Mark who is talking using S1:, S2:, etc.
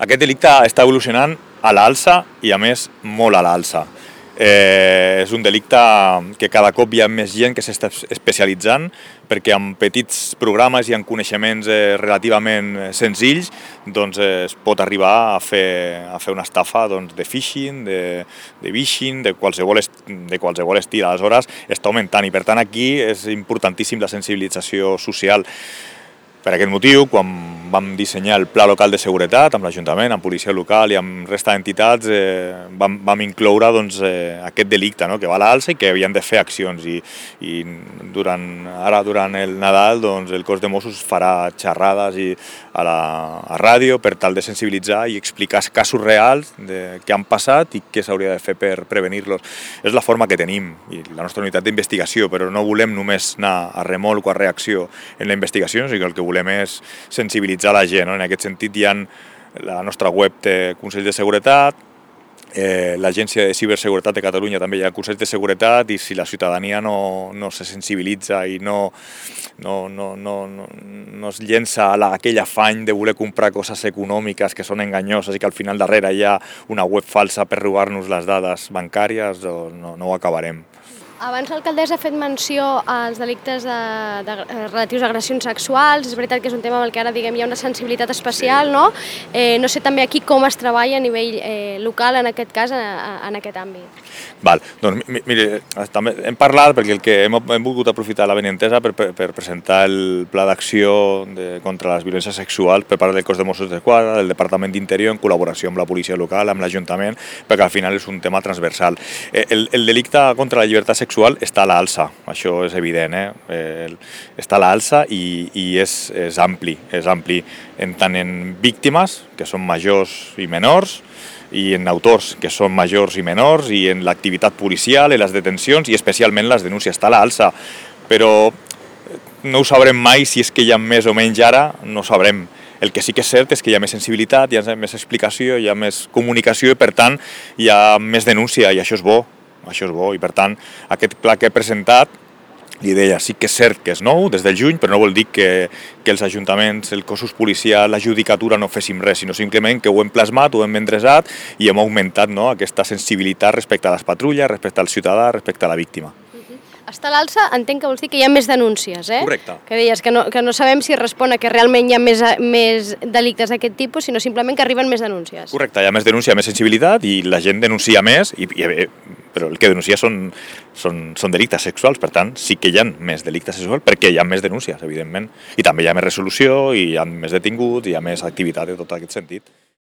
S1: Aquest delicte està evolucionant a l'alça i, a més, molt a l'alça. És un delicte que cada cop hi ha més gent que s'està especialitzant perquè amb petits programes i amb coneixements relativament senzills es pot arribar a fer una estafa de phishing, de vishing, de qualsevol estil. Aleshores està augmentant i per tant aquí és importantíssim la sensibilització social. Per aquest motiu, quan vam dissenyar el Pla Local de Seguretat amb l'Ajuntament, amb Policia Local i amb resta d'entitats, vam incloure aquest delicte que va a l'alça i que havien de fer accions. I durant el Nadal el cos de Mossos farà xerrades a ràdio per tal de sensibilitzar i explicar casos reals que han passat i què s'hauria de fer per prevenir-los. És la forma que tenim i la nostra unitat d'investigació, però no volem només anar a remolc o a reacció en la investigació, sinó que el que volem és sensibilitzar la gent. En aquest sentit, la nostra web té Consells de Seguretat, l'Agència de Ciberseguretat de Catalunya també hi ha Consells de Seguretat, i si la ciutadania no se sensibilitza i no es llença a aquell afany de voler comprar coses econòmiques que són enganyoses i que al final darrere hi ha una web falsa per robar-nos les dades bancàries, no ho acabarem.
S2: Abans l'alcaldessa ha fet menció als delictes relatius a agressions sexuals. És veritat que és un tema amb el que ara hi ha una sensibilitat especial, no? No sé també aquí com es treballa a nivell local, en aquest cas, en aquest àmbit.
S1: Doncs mire, també hem parlat perquè hem volgut aprofitar la benentesa per presentar el pla d'acció contra les violències sexuals per part del cos de Mossos d'Esquadra, del Departament d'Interior, en col·laboració amb la policia local, amb l'Ajuntament, perquè al final és un tema transversal. El delicte contra la llibertat sexual està a l'alça, això és evident, està a l'alça i és ampli, tant en víctimes, que són majors i menors, i en autors, que són majors i menors, i en l'activitat policial, en les detencions i especialment les denúncies. Està a l'alça, però no ho sabrem mai si és que hi ha més o menys ara, no ho sabrem. El que sí que és cert és que hi ha més sensibilitat, hi ha més explicació, hi ha més comunicació i per tant hi ha més denúncia i això és bo. I per tant aquest pla que he presentat, li deia, sí que és cert que és nou des del juny, però no vol dir que els ajuntaments, els cossos policials, la judicatura no féssim res, sinó simplement que ho hem plasmat, ho hem endreçat i hem augmentat aquesta sensibilitat respecte a les patrulles, respecte al ciutadà, respecte a la víctima.
S2: Està a l'alça, entenc que vols dir que hi ha més denúncies, eh?
S1: Correcte.
S2: Que deies que no sabem si respon a que realment hi ha més delictes d'aquest tipus, sinó simplement que arriben més denúncies.
S1: Correcte, hi ha més denúncia, més sensibilitat i la gent denuncia més, però el que denuncia són delictes sexuals, per tant sí que hi ha més delictes sexuals perquè hi ha més denúncies, evidentment. I també hi ha més resolució, i hi ha més detinguts, i hi ha més activitat en tot aquest sentit.